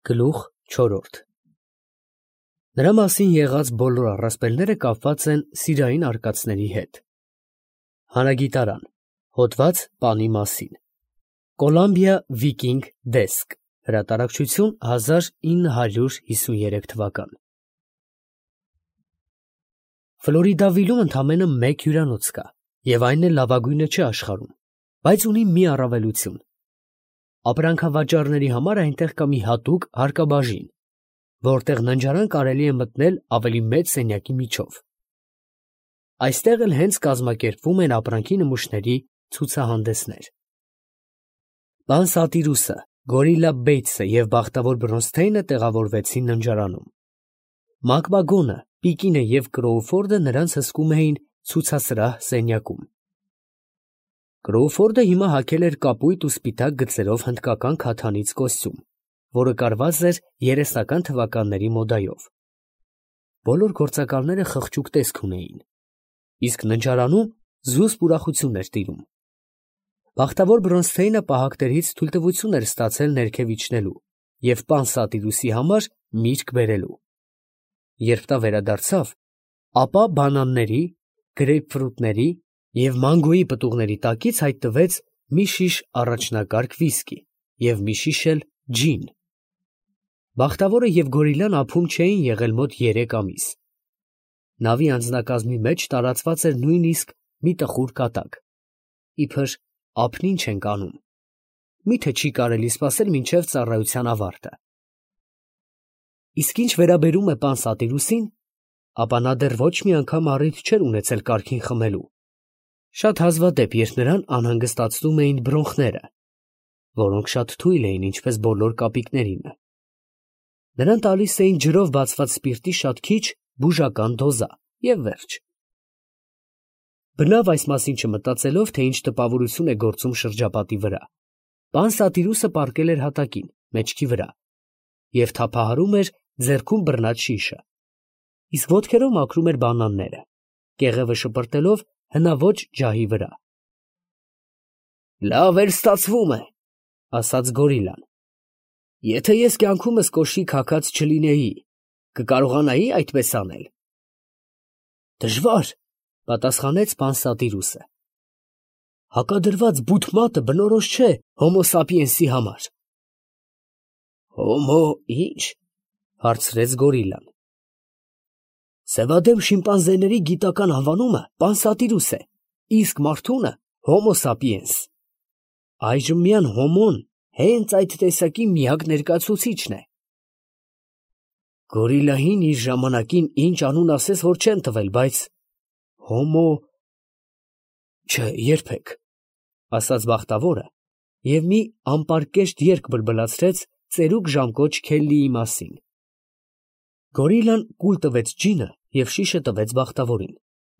Գլուխ 4 Նրա մասին եղած բոլոր առասպելները կապված են սիրային արկածների հետ։ Հանագիտարան, հոդված պանի մասին։ Կոլամբիա Վիկինգ դեսկ, հրատարակչություն 1953 թվական։ Ֆլորիդավիլում ընդամենը մեկ հյուրանոց կա, և այն էլ լավագույնը չէ աշխարհում, բայց ունի մի առավելություն. ապրանքավաճառների համար այնտեղ կա մի հատուկ հարկաբաժին, որտեղ ննջարան կարելի է մտնել ավելի մեծ սենյակի միջով։ Այստեղ էլ հենց կազմակերպվում են ապրանքի նմուշների ցուցահանդեսներ։ Պան Սատիրուսը, Գորիլլա Բեյթսը և Բախտավոր Բրոնսթեյնը տեղավորվեցին ննջարանում։ Մակբագոնը, Պիկինը և Կրոուֆորդը նրանց հսկում էին ցուցասրահ սենյակում։ Կրոուֆորդը հիմա հագել էր կապույտ ու սպիտակ գծերով հնդկական քաթանից կոստյում, որը կարված էր 30-ական թվականների մոդայով։ Բոլոր գործակալները խղճուկ տեսք ունեին, իսկ ննջարանում զուսպ ուրախություն էր տիրում։ Բախտավոր Բրոնսթեյնը պահակներից թույլտվություն էր ստացել ներքև իջնելու և պան Սատիրուսի համար միրգ բերելու։ Երբ նա վերադարձավ, ապա բանանների, գրեյպֆրուտների և մանգոյի պտուղների տակից հայտնվեց մի շիշ առաջնակարգ վիսկի և մի շիշ էլ ջին։ Բախտավորը և Գորիլլան ափում չէին եղել մոտ 3 ամիս։ Նավի անձնակազմի մեջ տարածված էր նույնիսկ մի տխուր կատակ, իբր ափն ինչ ենք անում, միթե չի կարելի սպասել մինչև ծառայության ավարտը։ Իսկ ինչ վերաբերում է պան Սատիրուսին, ապա նա դեռ ոչ մի անգամ առիթ չէր ունեցել կարգին խմելու, շատ հազվադեպ, երբ նրան անհանգստացնում էին բրոնխները, որոնք շատ թույլ էին, ինչպես բոլոր կապիկներինը։ Նրան տալիս էին ջրով բացված սպիրտի շատ քիչ բուժական դոզա և վերջ։ Բնավ այս մասին չմտածելով, թե ինչ տպավորություն է գործում շրջապատի վրա, պան Սատիրուսը պառկել էր հատակին, մեջքի վրա, և թափահարում էր ձեռքում բռնած շիշը, իսկ ոտքերով մաքրում էր բանանները, կեղևը շպրտելով հնաոճ ջահի վրա։ «Լավ էր ստացվում է, ֊ ասաց Գորիլլան, ֊ եթե ես կյանքումս կոշիկ հագած չլինեի, կկարողանայի այդպես անել»։ «Դժվար, ֊ պատասխանեց պան Սատիրուսը, ֊ հակադրված բութ մատը բնորոշ չէ հոմո սապիենսի համար»։ «Հոմո ի՞նչ, ֊ հարցրեց Գորիլլան։ «Սևադեմ շիմպանզեների գիտական անվանումը պան Սատիրուս է, իսկ մարդունը հոմո սապիենս։ Այժմ միայն հոմոն հենց այդ տեսակի միակ ներկայացուցիչն է»։ «Գորիլլային իր ժամանակին ինչ անուն ասես, որ չեն տվել, բայց հոմո… չէ, երբեք», ֊ ասաց Բախտավորը և մի անպարկեշտ երգ բլբլացրեց ծերուկ ժամկոչ Քելլիի մասին։ Գորիլլան կուլ տվեց ջինը և շիշը տվեց Բախտավորին,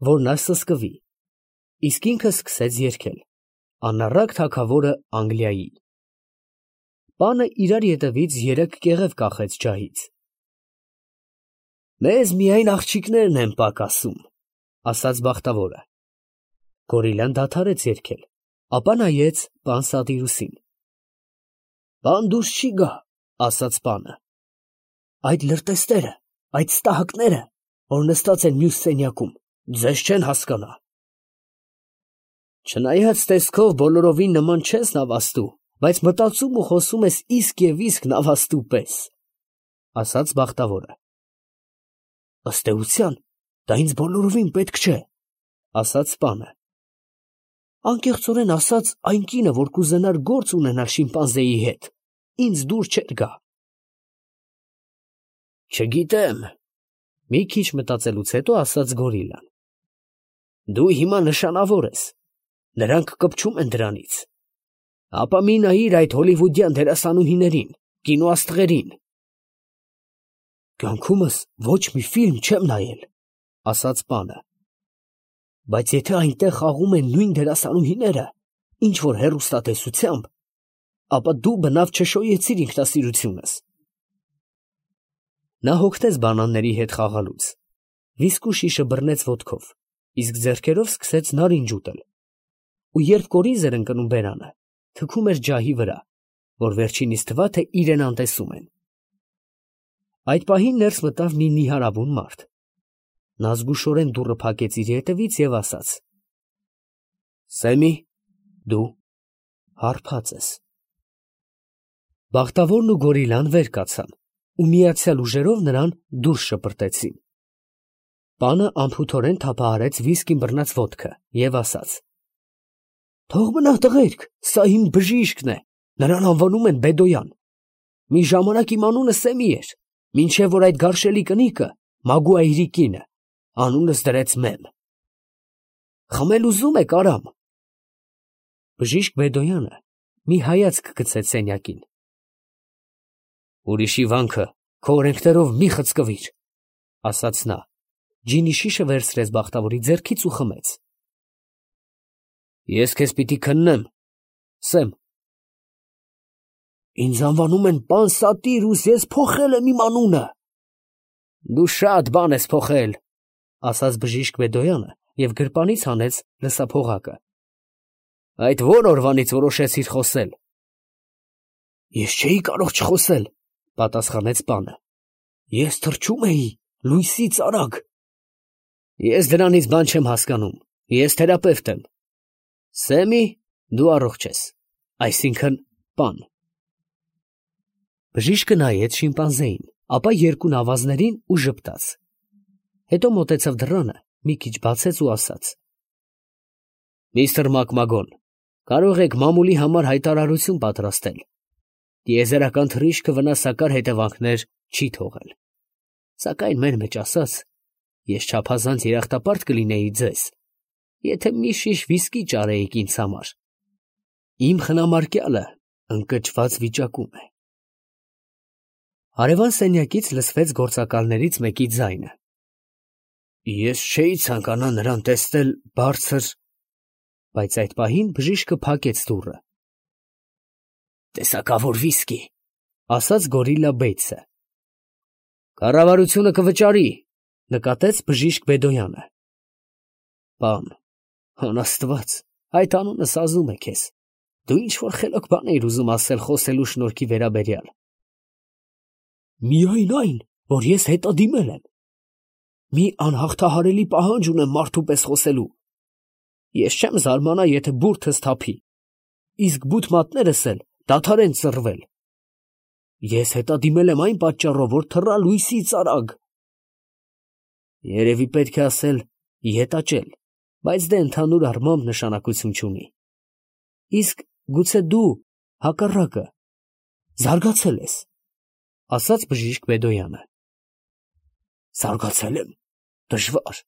որ նա սսկվի, իսկ ինքը սկսեց երգել «Անառակ թագավորը Անգլիայի»։ Պանը իրար ետևից 3 կեղև կախեց ջահից։ «Մեզ միայն աղջիկներն են պակասում», ֊ ասաց Բախտավորը։ Գորիլլան դադարեց երգել, ապա նայեց պան Սատիրուսին։ «Պան դուրս չի գա, ֊ ասաց պանը, ֊ այդ լրտեսները, այդ ստահակները, որ նստած են մյուս սենյակում, ձեզ չեն հասկանա»։ «Չնայած տեսքով բոլորովին նման չես նավաստու, բայց մտածում ու խոսում ես իսկ և իսկ նավաստու պես», ֊ ասաց Բախտավորը։ «Ըստ էության, դա ինձ բոլորովին պետք չէ», ֊ ասաց պանը։ «Անկեղծորեն ասած, այն կինը, որ կուզենար գործ ունենալ շիմպանզեի հետ, ինձ դուր չէր գա»։ «Չգիտեմ, ֊ մի քիչ մտածելուց հետո ասաց Գորիլլան, ֊ դու հիմա նշանավոր ես, նրանք կպչում են դրանից, ապա մի նայիր այդ հոլիվուդյան դերասանուհիներին, կինոաստղերին»։ «Կյանքումս ոչ մի ֆիլմ չեմ նայել, ֊ ասաց պանը, ֊ բայց եթե այնտեղ խաղում են նույն դերասանուհիները, ինչ որ հեռուստատեսությամբ, ապա դու բնավ չշոյեցիր ինքնասիրությունս»։ Նա հոգնեց բանանների հետ խաղալուց, վիսկու շիշը բռնեց ոտքով, իսկ ձեռքերով սկսեց նարինջ ուտել, ու երբ կորիզ էր ընկնում բերանը, թքում էր ջահի վրա, որ վերջինիս թվա, թե իրեն անտեսում են։ Այդ պահին ներս մտավ մի նիհարավուն մարդ։ Նա զգուշորեն դուռը փակեց իր ետևից և ասաց. «Սեմի, դու հարբած ես»։ Բախտավորն ու գորիլան վեր կացան ու միացյալ ուժերով նրան դուրս շպրտեցին։ Պանը անփութորեն թափահարեց վիսկին բռնած ոտքը և ասաց. «Թող մնա տղերք, սա իմ բժիշկն է, նրան անվանում են Բեդոյան։ Մի ժամանակ իմ անունը Սեմի էր, մինչև որ այդ գարշելի կնիկը, Մագուայրի կինը, անունս դրեց Մեմ։ Խմել ուզում եք, արամ»։ Բժիշկ Բեդոյանը մի հայացք գցեց սենյակին։ «Ուրիշի վանքը քո օրենքներով մի խցկվիր», ասաց նա, ջինի շիշը վերցրեց բախտավորի ձեռքից ու խմեց։ «Ես քեզ պիտի քննեմ, Սեմ»։ «Ինձ անվանում են պան Սատիրուս, ես փոխել եմ իմ անունը»։ «Դու շատ բան ես փոխել», ասաց բժիշկ Բեդոյանը և գրպանից հանեց լսափողակը։ «Այդ ո՞ր օրվանից որոշեցիր խոսել»։ «Ես չէի կարող չխոսել», պատասխանեց պանը։ «Ես թռչում էի լույսից արագ»։ «Ես դրանից բան չեմ հասկանում, ես թերապևտ եմ։ Սեմի, դու առողջ ես, այսինքն պան»։ Բժիշկը նայեց շիմպանզեին, ապա երկու նավազներին ու ժպտաց։ Հետո մոտեցավ դռանը, մի քիչ բացեց ու ասաց. «Միստր Մակմագոն, կարող եք մամուլի համար հայտարարություն պատրաստել։ Տիեզերական թռիչքը վնասակար հետևանքներ չի թողել։ Սակայն մեր մեջ ասած, ես չափազանց երախտապարտ կլինեի ձեզ, եթե մի շիշ վիսկի ճարեիք ինձ համար։ Իմ խնամարկյալը ընկճված վիճակում է»։ Հարևան սենյակից լսվեց գործակալներից մեկի ձայնը. «Ես չէի ցանկանա նրան տեսնել բարձր…» Բայց այդ պահին բժիշկը փակեց դուռը։ «Տեսակավոր վիսկի», ասաց գորիլա Բեյցը։ «Կառավարությունը կվճարի», նկատեց բժիշկ Բեդոյանը։ «Պան, անաստված, այդ անունը սազում է քեզ, դու ինչ֊որ խելոք բան էիր ուզում ասել խոսելու շնորհքի վերաբերյալ»։ «Միայն այն, որ ես հետադիմել եմ։ Մի անհաղթահարելի պահանջ ունեմ մարդու պես խոսելու։ Ես չեմ զարմանա, եթե բուրդս թափի, իսկ բութմատներս էլ դադարեն ծռվել։ Ես հետադիմել եմ այն պատճառով, որ թռա լույսից արագ»։ Երևի պետք է ասել ետաճել, բայց դե ընդհանուր առմամբ նշանակություն չունի։ Իսկ գուցե դու հակառակը զարգացել ես, ասաց բժիշկ Բեդոյանը։ Զարգացել եմ, դժվար։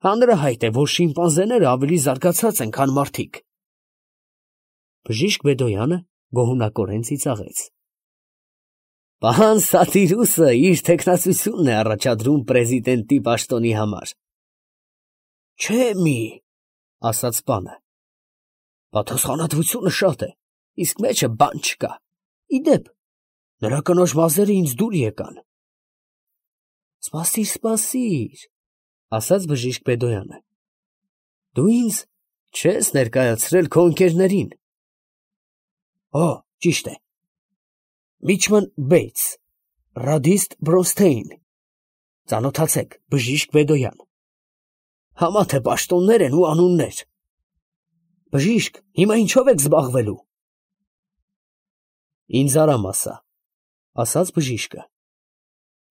Հանրահայտ է, որ շիմպանզեները ավելի զարգացած են, քան մարդիկ։ Բժիշկ Բեդոյանը գոհունակորեն ծիծաղեց։ Պահան Սատիրուսը իր թեկնածությունն է առաջադրում պրեզիդենտի պաշտոնի համար։ Չէ մի, ասաց պանը։ Պատասխանատվությունը շատ է, իսկ մեջը բան չկա։ Իդեպ, նրա կնոջ մազերը ինձ դուր եկան։ Սպասիր, ասաց բժիշկ Բեդոյանը։ Դու ինձ չես ներկայացրել քո ընկերներին։ Ճիշտ է։ Միչման Բեյց, ռադիստ Բրոնստեին, ծանոթացեք, բժիշկ Բեդոյան։ Համա թե պաշտոններ են ու անուններ։ Բժիշկ, հիմա ինչով եք զբաղվելու։ Ինձ արամ ասա, ասաց բժիշկը։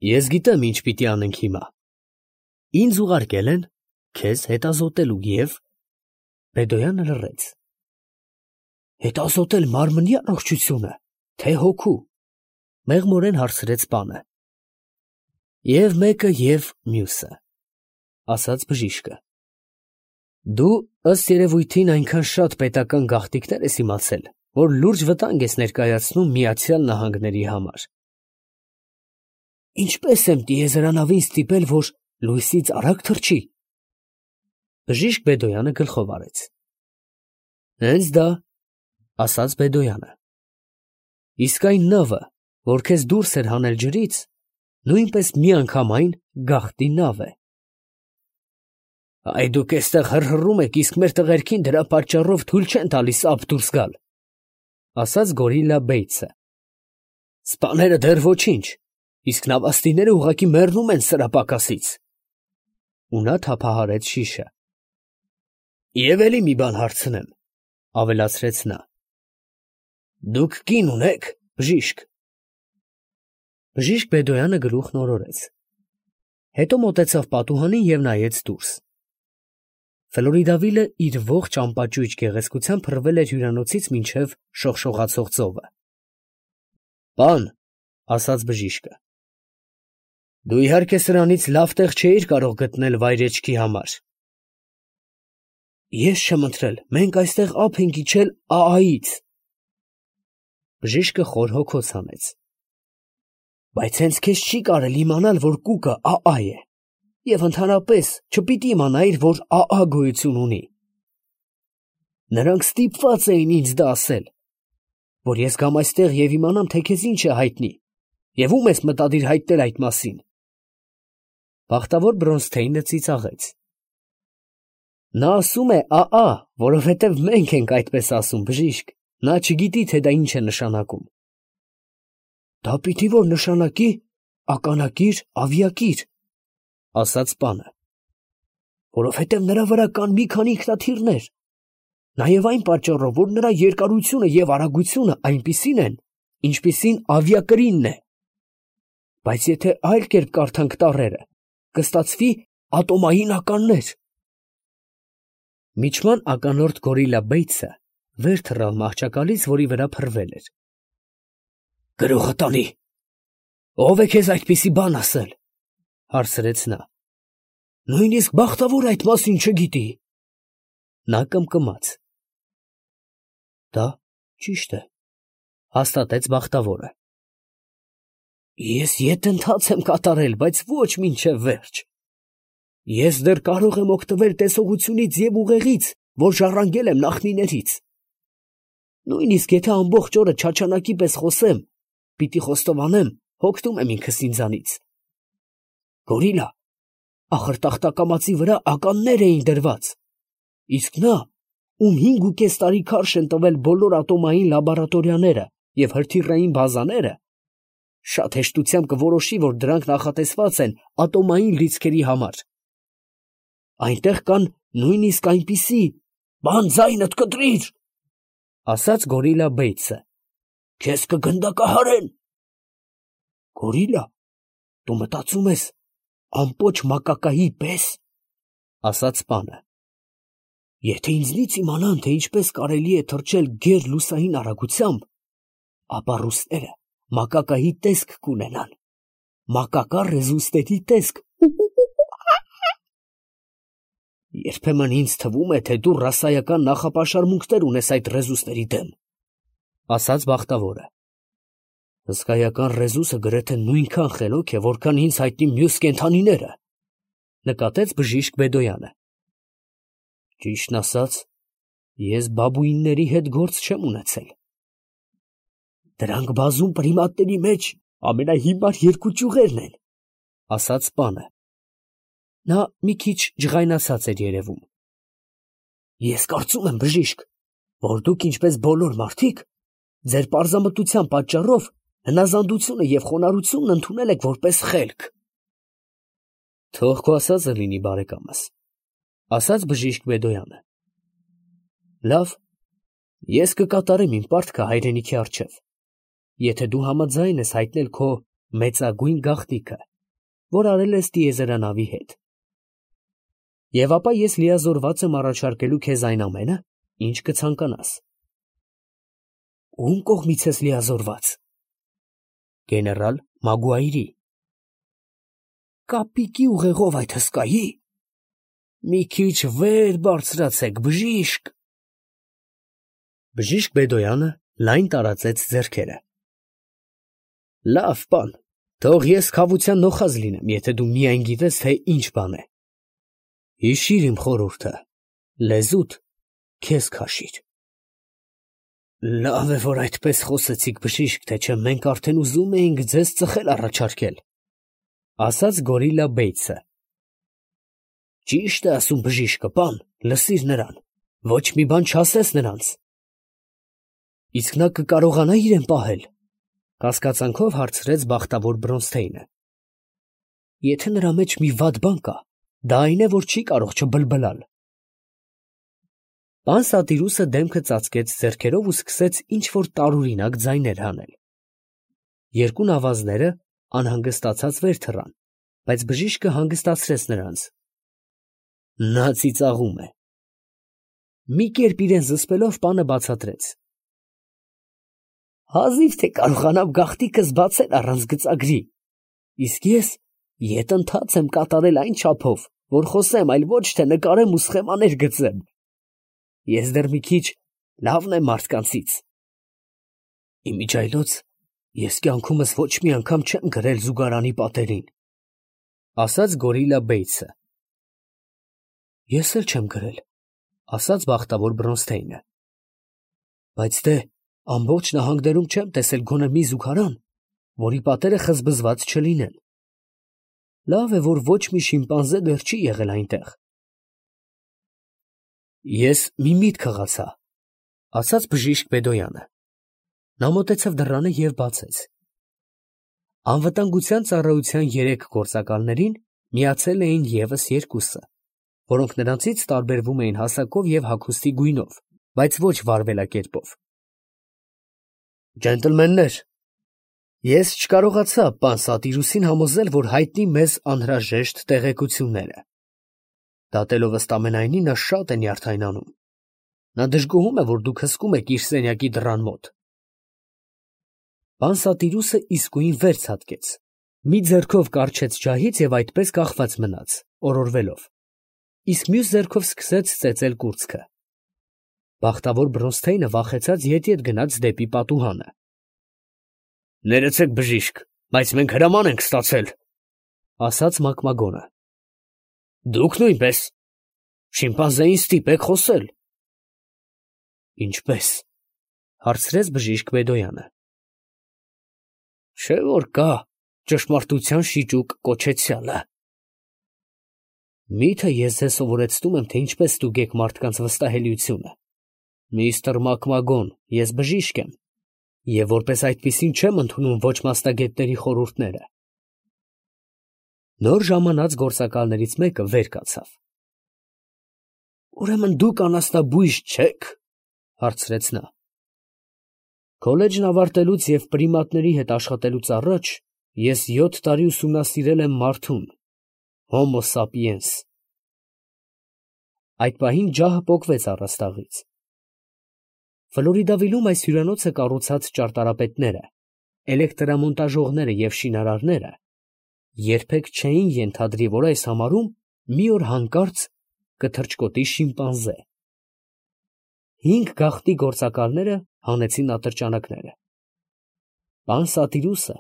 Ես գիտեմ ինչ պիտի անենք հիմա։ Ինձ ուղարկել են քեզ հետազոտելու և… Բեդոյանը լռեց։ Հետազոտել մարմնի առողջությունը, թե հոգու, մեղմորեն հարցրեց պանը։ Եվ մեկը և մյուսը, ասաց բժիշկը։ Դու ըստ երևույթին այնքան շատ պետական գաղտնիքներ ես իմացել, որ լուրջ վտանգ ես ներկայացնում Միացյալ Նահանգների համար։ Ինչպես եմ տիեզերանավին ստիպել, որ լույսից արագ թռչի։ Բժիշկ Բեդոյանը գլխով արեց։ Հենց դա, ասաց Բեդոյանը։ Իսկ այն նավը, որ քեզ դուրս էր հանել ջրից, նույնպես միանգամայն գաղտնի նավ է։ Այ դուք էստեղ հռհռում եք, իսկ մեր տղերքին դրա պատճառով թույլ չեն տալիս ափ դուրս գալ, ասաց գորիլա Բեյցը։ Սպաները դեռ ոչինչ, իսկ նավաստիները ուղղակի մեռնում են սրա պակասից։ Ու նա թափահարեց շիշը։ Եվ էլի մի բան հարցնեմ, ավելացրեց նա. դուք կին ունեք, բժիշկ։ Բժիշկ Բեդոյանը գլուխն օրորեց։ Հետո մոտեցավ պատուհանին և նայեց դուրս։ Ֆլորիդավիլը իր ողջ ամպաճույճ գեղեցկությամբ փռվել էր հյուրանոցից մինչև շողշողացող ծովը։ Պան, ասաց բժիշկը, դու իհարկե սրանից լավ տեղ չէիր կարող գտնել վայրեջքի համար։ Ես չեմ ընտրել, մենք այստեղ ափ ենք իջել ԱԱ-ից։ Բժիշկը խոր հոգոց հանեց։ Բայց հենց քեզ չի կարել իմանալ, որ կուկը ԱԱ է, և ընդհանրապես չպիտի իմանայիր, որ ԱԱ գոյություն ունի։ Նրանք ստիպված էին ինձ դա ասել, որ ես գամ այստեղ և իմանամ, թե քեզ ինչ է հայտնի, և ում ես մտադիր հայտնել այդ մասին։ Բախտավոր Բրոնսթեյնը ծիծաղեց։ Նա ասում է ԱԱ, որովհետև մենք ենք այդպես ասում, բժիշկ, նա չգիտի, թե դա ինչ է նշանակում։ Դա պիտի որ նշանակի ականակիր, ավիակիր, ասաց պանը, որովհետև նրա վրա կան մի քանի ինքնաթիռներ, նաև այն պատճառով, որ նրա երկարությունը և արագությունը այնպիսին են, ինչպիսին ավիակրինն է։ Բայց եթե այլ կերպ կարդանք տառերը, կստացվի ատոմային ականներ։ Միջման ականորդ Գորիլա Բեյթսը վեր թռավ մահճակալից, որի վրա փռվել էր։ Գրողը տանի, ով է քեզ այդպիսի բան ասել, հարցրեց նա։ Նույնիսկ բախտավոր այդ մասին չգիտի։ Նա կմկմաց։ Դա ճիշտ է, հաստատեց բախտավորը։ Ես ետ-ընթաց եմ կատարել, բայց ոչ մինչև վերջ։ Ես դեռ կարող եմ օգտվել տեսողությունից և ուղեղից, որ ժառանգել եմ նախնիներից։ Նույնիսկ եթե ամբողջ օրը չաչանակի պես խոսեմ, պիտի խոստովանեմ, հոգնում եմ ինքս ինձանից։ Գորիլա, ախր տախտակամածի վրա ականներ էին դրված, իսկ նա, ում 5.5 տարի քարշ են տվել բոլոր ատոմային լաբորատորիաները և հրթիռային բազաները, շատ հեշտությամբ կորոշի, որ դրանք նախատեսված են ատոմային լիցքերի համար։ Այնտեղ կան նույնիսկ այնպիսի, բան ձայնդ կտրիր, ասաց Գորիլա Բեյթսը, քեզ կգնդակահարեն։ Գորիլա, դու մտածում ես ամպոչ մակակայի պես, ասաց պանը։ Եթե ինձնից իմանան, թե ինչպես կարելի է թռչել գեր լուսային արագությամբ, ապա ռուսները մակակայի տեսք կունենան, մակակա ռեզուստերի տեսք։ Երբեմն ինձ թվում է, թե դու ռասայական նախապաշարմունքներ ունես այդ ռեզուստերի դեմ, ասաց բախտավորը։ Հսկայական ռեզուսը գրեթե նույնքան խելոք է, որքան ինձ հայտնի մյուս կենդանիները, նկատեց բժիշկ Բեդոյանը։ Ճիշտն ասած, ես բաբուինների հետ գործ չեմ ունեցել։ Դրանք բազում պրիմատների մեջ ամենահիմար երկու ճյուղերն են, ասաց պանը։ Նա մի քիչ ջղայնացած էր երևում։ Ես կարծում եմ, բժիշկ, որ դուք ինչպես բոլոր մարդիկ, ձեր պարզամտության պատճառով հնազանդությունը և խոնարհությունն ընդունել եք որպես խելք։ Թող քո ասածը լինի, բարեկամս, ասաց բժիշկ Բեդոյանը։ Լավ, ես կկատարեմ իմ պարտքը հայրենիքի առջև, եթե դու համաձայն ես հայտնել քո մեծագույն գաղտնիքը, որ արել ես տիեզերանավի հետ։ Եվ ապա ես լիազորված եմ առաջարկելու քեզ այն ամենը, ինչ կցանկանաս։ Ում կողմից ես լիազորված։ Գեներալ Մագուայրի։ Կապիկի ուղեղով այդ հսկայի։ Մի քիչ վեր բարձրացեք, բժիշկ։ Բժիշկ Բեդոյանը լայն տարածեց ձեռքերը։ Լավ, պան, թող ես քավության նոխազ լինեմ, եթե դու միայն գիտես, թե ինչ բան է։ Հիշիր իմ խորհուրդը, լեզուդ քեզ քաշիր։ Լավ է, որ այդպես խոսեցիք, բժիշկ, թե չէ մենք արդեն ուզում էինք ձեզ ծխել առաջարկել, ասաց Գորիլա Բեյթսը։ Ճիշտ է ասում բժիշկը, պան, լսիր նրան, ոչ մի բան չասես նրանց։ Իսկ նա կկարողանա իրեն պահել, Կասկածանքով հարցրեց բախտավոր Բրոնսթեյնը։ Եթե նրա մեջ մի վատ բան կա, դա այն է, որ չի կարող չբլբլալ։ Պան Սատիրուսը դեմքը ծածկեց ձեռքերով ու սկսեց ինչ-որ տարօրինակ ձայներ հանել։ Երկու նավազները անհանգստացած վեր թռան, բայց բժիշկը հանգստացրեց նրանց։ Նա ծիծաղում է։ Մի կերպ իրեն զսպելով պանը բացատրեց. Հազիվ թե կարողանամ գաղտիկս բացել առանց գծագրի, իսկ ես ետընթաց եմ կատարել այն չափով, որ խոսեմ, այլ ոչ թե նկարեմ ու սխեմաներ գծեմ։ Ես դեռ մի քիչ լավն եմ մարդկանցից։ Իմիջիայլոց ես կյանքումս ոչ մի անգամ չեմ գրել զուգարանի պատերին, ասաց Գորիլա Բեյցը։ Ես էլ չեմ գրել, ասաց բախտավոր Բրոնսթեյնը։ Բայց դե ամբողջ նահանգներում չեմ տեսել գոնե մի զուգարան, որի պատերը խզբզված չլինեն։ Լավ է, որ ոչ մի շիմպանզե դեռ չի եղել այնտեղ։ Ես մի միտք հղացա, ասաց բժիշկ Բեդոյանը։ Նա մոտեցավ դռանը և բացեց։ Անվտանգության ծառայության 3 գործակալներին միացել էին ևս 2-ը, որոնք նրանցից տարբերվում էին հասակով և հագուստի գույնով, բայց ոչ վարվելակերպով։ Ջենտլմեններ, ես չկարողացա պան Սատիրուսին համոզել, որ հայտնի մեզ անհրաժեշտ տեղեկությունները։ Դատելով ըստ ամենայնի, նա շատ է նյարդայնանում։ Նա դժգոհում է, որ դուք հսկում եք իր սենյակի դռան մոտ։ Պան Սատիրուսը իսկույն վեր ցատկեց, մի ձեռքով կառչեց ջահից և այդպես կախված մնաց, օրորվելով, իսկ մյուս ձեռքով սկսեց ծեծել կուրծքը։ Բախտավոր Բրոնսթեյնը վախեցած ետ գնաց դեպի պատուհանը։ Ներեցեք բժիշկ, բայց մենք հրաման ենք ստացել, ասաց Մակմագոնը։ Դուք նույնպես, շիմպանզեին ստիպեք խոսել։ Ինչպես, հարցրեց բժիշկ Բեդոյանը։ Չէ՞ որ կա ճշմարտության շիճուկ կոչեցյալը։ Միթե ես ձեզ սովորեցնում եմ, թե ինչպես ստուգեք մարդկանց վստահելիությունը։ Միստր Մակմագոն, ես բժիշկ եմ, և որպես այդպիսին չեմ ընդունում ոչ մասնագետների խորհուրդները։ Նոր ժամանած գործակալներից մեկը վեր կացավ։ Ուրեմն դուք անասնաբույժ չեք, հարցրեց նա։ Քոլեջն ավարտելուց և պրիմատների հետ աշխատելուց առաջ ես 7 տարի ուսումնասիրել եմ մարդուն, Homo sapiens։ Այդ պահին ջահը պոկվեց առաստաղից։ Ֆլորիդավիլում այս հյուրանոցը կառուցած ճարտարապետները, էլեկտրամոնտաժողները և շինարարները երբեք չէին ենթադրի, որ այս համարում մի օր հանկարծ կթռչկոտի շիմպանզե։ 5 գաղտնի գործակալները հանեցին ատրճանակները։ Պան Սատիրուսը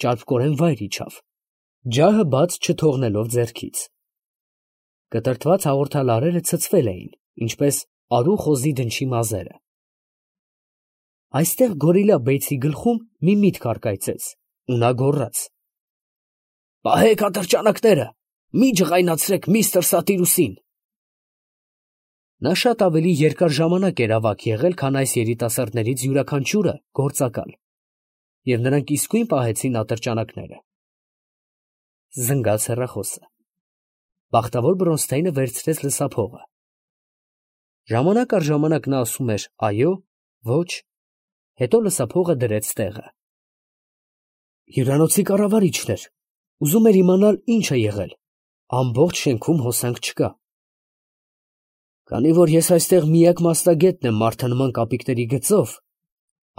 ճարպկորեն վայր իջավ, ջահը բաց չթողնելով ձեռքից։ Կտրտված հաղորդալարերը ցցվել էին, ինչպես արու խոզի դնչի մազերը։ Այստեղ Գորիլա Բեյցի գլխում մի միտք առկայծեց, ու նա գոռաց. «Պահեք ատրճանակները, մի ջղայնացրեք միստր Սատիրուսին»։ Նա շատ ավելի երկար ժամանակ էր ավագ եղել, քան այս երիտասարդներից յուրաքանչյուրը գործակալ, և նրանք իսկույն պահեցին ատրճանակները։ Զնգաց հեռախոսը։ Բախտավոր Բրոնսթեյնը վերցրեց լսափողը։ Ժամանակ առ ժամանակ նա ասում էր այո, ոչ, հետո լսափողը դրեց տեղը։ Հյուրանոցի կառավարիչն էր, ուզում էր իմանալ ինչ է եղել, ամբողջ շենքում հոսանք չկա։ Քանի որ ես այստեղ միակ մասնագետն եմ մարդանման կապիկների գծով,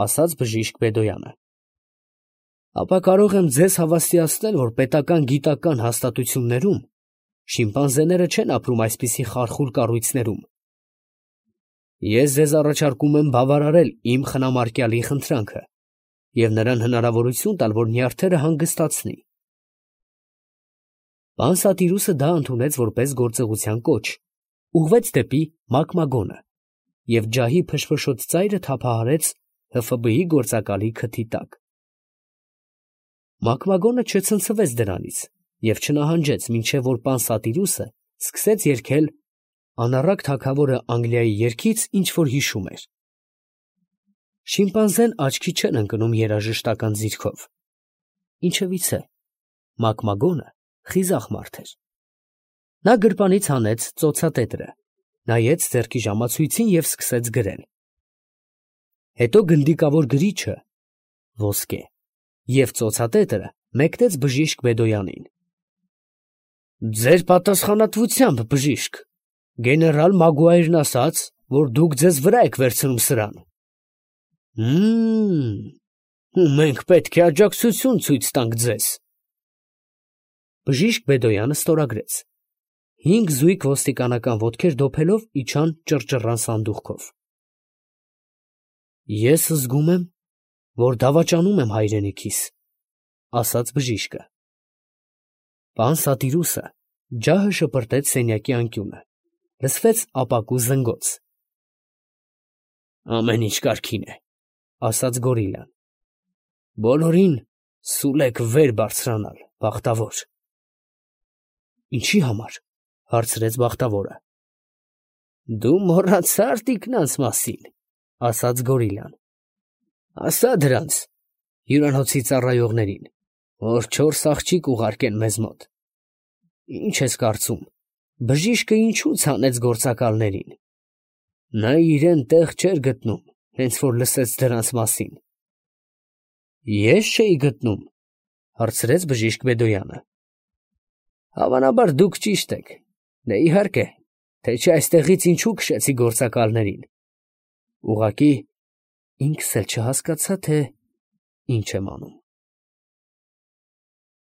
ասաց բժիշկ Բեդոյանը, ապա կարող եմ ձեզ հավաստիացնել, որ պետական գիտական հաստատություններում շիմպանզեները չեն ապրում այսպիսի խարխուլ կառույցներում։ Ես ձեզ առաջարկում եմ բավարարել իմ խնամարկյալի խնդրանքը և նրան հնարավորություն տալ, որ նյարդերը հանգստացնի։ Պան Սատիրուսը դա ընդունեց որպես գործողության կոչ, ուղղվեց դեպի Մակմագոնը և ջահի փշփշոտ ծայրը թափահարեց ՀՖԲ-ի գործակալի քթի տակ։ Մակմագոնը չցնցվեց դրանից և չնահանջեց, մինչև որ պան Սատիրուսը սկսեց երգել անառակ թագավորը Անգլիայի երգից, ինչ որ հիշում էր։ Շիմպանզեն աչքի չէր ընկնում երաժշտական ձիրքով։ Ինչևից է, մակմագոնը խիզախ մարդ էր։ Նա գրպանից հանեց ծոցատետրը, նայեց ձեռքի ժամացույցին և սկսեց գրել։ Հետո գնդիկավոր գրիչը ոսկե և ծոցատետրը մեկնեց բժիշկ Բեդոյանին։ Ձեր պատասխանատվությամբ, բժիշկ, գեներալ Մագուայրն ասաց, որ դուք ձեզ վրա եք վերցնում սրան։ Ու մենք պետք է աջակցություն ցույց տանք ձեզ։ Բժիշկ Բեդոյանը ստորագրեց։ 5 զույգ ոստիկանական ոտքեր դոփելով իջան ճռճռան սանդուղքով։ Ես զգում եմ, որ դավաճանում եմ հայրենիքիս, ասաց բժիշկը։ Պան Սատիրուսը ջահը շպրտեց սենյակի անկյունը, լսվեց ապակու զնգոց։ Ամեն ինչ կարգին է, ասաց գորիլան։ Բոլորին սուլեք վեր բարձրանալ, բախտավոր։ Ինչի համար, հարցրեց բախտավորը։ Դու մոռացա՞ր տիկնանց մասին, ասաց գորիլան։ Ասա դրանց հյուրանոցի ծառայողներին, որ 4 աղջիկ ուղարկեն մեզ մոտ։ Ինչ ես կարծում, բժիշկը ինչու ցանեց գործակալներին։ Նա իրեն տեղ չէր գտնում, հենց որ լսեց դրանց մասին։ Ես չէի գտնում, հարցրեց բժիշկ Բեդոյանը։ Հավանաբար դուք ճիշտ եք, դե իհարկե, թե չէ այստեղից ինչու քշեցի գործակալներին։ Ուղղակի ինքս էլ չհասկացա, թե ինչ եմ անում։